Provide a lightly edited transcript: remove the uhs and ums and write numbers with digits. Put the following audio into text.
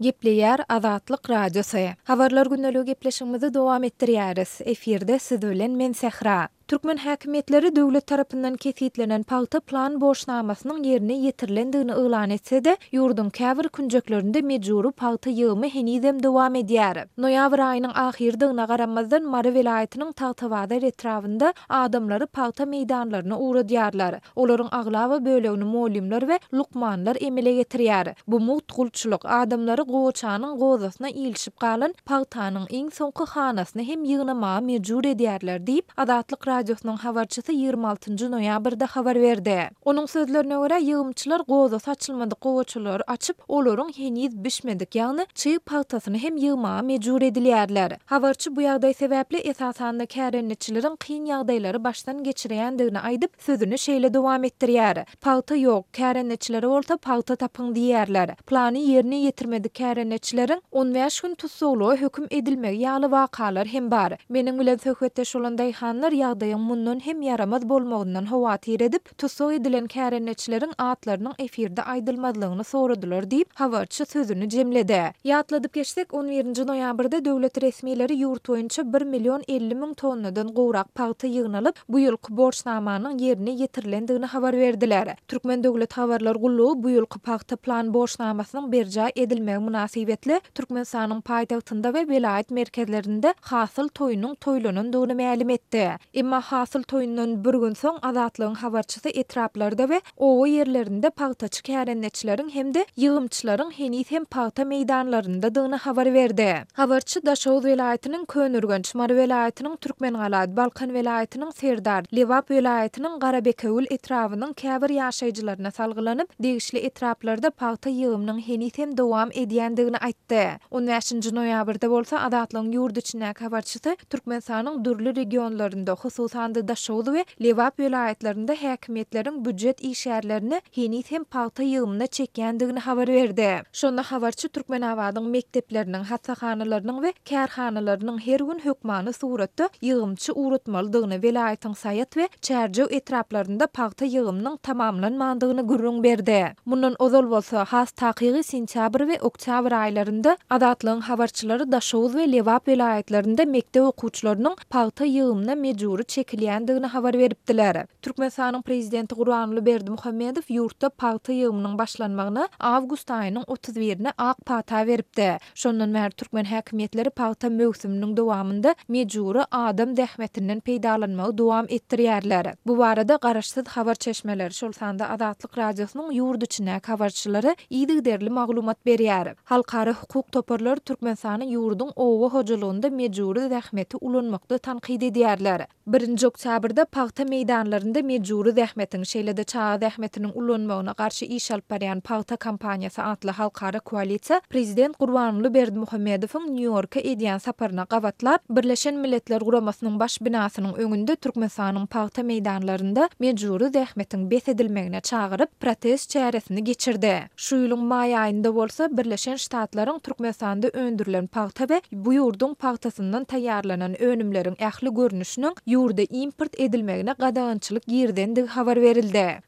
Gepleýär Azatlyk Radiosy. Habarlar gündeligi gepleşigimizi dowam etdirýäris. Efirde siz bilen men Sähra. Türkmen häkimiýetleri döwlet tarapyndan kesgitlenen pagta plan borçnamasynyň ýerine ýetirilendigini yglan etse-de, ýurduň käbir künjeklerinde mejbury pagta ýygymy henizem dowam edýär. Noýabr aýynyň ahyrydygyna garamazdan, Mary welaýatynyň Tagtabazar etrabynda adamlary pagta meýdanlaryna ugradýarlar. Olaryň aglaba bölegini mugallymlar we lukmanlar emele getirýär. Bu mugt gulçulyk, adamlary gowaçanyň gozasyna ilişip galan pagtanyň iň soňky hanasyny hem ýygnamaga mejbur edýärler diýip, Azatlyk Radiosynyň habarçysy 26 noýabrda habar berdi. Onuň sözlerine görä, ýygymçylar gozasy açylmadyk gowaçalary açyp, olaryň heniz bişmedik, ýagny çyg pagtasyny hem ýygmaga mejbur edilýärler. Habarçy bu ýagdaý sebäpli esasanda kärendeçileriň kyn ýagdaýlary başdan geçirýändigini aýdyp, sözüni şeýle dowam etdirýär, Pagta ýok, kärendeçilere bolsa pagta tapyň diýýärler. Plany ýerine ýetirmedik kärendeçileriň 15 gün tussaglyga höküm edilmegi ýaly wakalar hem bar. Meniň bilen söhbetdeş bolan daýhanlar ýagdaýyň mundan hem ýaramaz bolmagyndan howatyr edip, tussag edilen kärendeçileriň atlarynyň efirde aýdylmazlygyny soradylar diýip, habarçy sözüni jemledi. Ýatladyp geçsek, on birinji noýabrda döwlet resmileri ýurt boýunça bir million 50 müň tonnadan gowrak pagta ýygnalyp, bu ýylky borçnamanyň ýerine ýetirilendigini habar berdiler. Türkmen döwlet habarlar gullugy bu ýylky pagta plan borçnamasynyň berjaý edilmegi mynasybetli Türkmenistanyň paýtagtynda we welaýat merkezlerinde hasyl toýunyň toýlanandygyny mälim etdi. Emma hasyl toýundan bir gün soň Azatlygyň habarçysy etraplarda we oba ýerlerinde pagtaçy kärendeçileriň hem-de ýygymçylaryň heniz hem pagta meýdanlaryndadygyny habar berdi. Habarçy Daşoguz welaýatynyň Köneürgenç, Mary welaýatynyň Türkmengala, Balkan welaýatynyň Serdar, Lebap welaýatynyň Garabekewül etrabynyň käbir ýaşaýjylaryna salgylanyp, degişli etraplarda pagta ýygymynyň heniz hem dowam edýändigini aýtdy. On bäşinji noýabrda bolsa Azatlygyň ýurt içindäki habarçysy Türkmenistanyň dürli regionlarynda, hususan-da Daşoguz we Lebap welaýatlarynda häkimiýetleriň býujet işgärlerini heniz hem pagta ýygymyna çekýändigini habar berdi. Şonda habarçy Türkmenabadyň mekdepleriniň, hassahanalarynyň we kärhanalarynyň her gün hökmany suratda ýygymçy ugratmalydygyny, welaýatyň Saýat we Çärjew etraplarynda pagta ýygymynyň tamamlanmandygyny gürrüň berdi. Mundan ozal bolsa, has takygy sentýabr we oktýabr aýlarynda Azatlygyň habarçylary Daşoguz we Lebap welaýatlarynda mekdep okuwçylarynyň pagta ýygymyna mejbury çekilýändigini habar beripdiler. Türkmenistanyň Prezidenti Gurbanguly Berdimuhamedow ýurtda pagta ýygymynyň başlanmagyna awgust aýynyň 31-ine ak pata beripdi. Şondan bäri türkmen häkimiýetleri pagta möwsüminiň dowamynda mejbury adam zähmetinden peýdalanmagy dowam etdirýärler. Bu barada garaşsyz habar çeşmeleri, şol sanda Azatlyk Radiosynyň ýurt içindäki habarçylary yzygiderli maglumat berýär. Halkara hukuk toparlary Türkmenistany ýurduň oba hojalygynda mejbury zähmeti ulanmakda tankyt edýärler. Birinji oktýabrda pagta meýdanlarynda mejbury zähmetiň, şeýle-de çaga zähmetiniň ulanmagyna garşy iş alyp barýan Pagta kampaniýasy atly halkara koalisiýa prezident Gurbanguly Berdimuhamedowyň Nýu-Ýorka edýän saparyna gabatlap, Birleşen Milletler Guramasynyň baş binasynyň öňünde Türkmenistanyň pagta meýdanlarynda mejbury zähmetiň bes edilmegine çagyryp, protest çäresini geçirdi. Şu ýylyň maý aýynda bolsa Birleşen Ştatlaryň Türkmenistanda öndürilen pagta we bu ýurduň pagtasyndan taýýarlanan önümleriň ähli görnüşiniň ýurda import edilmegine gadagançylyk girizendigi habar berildi.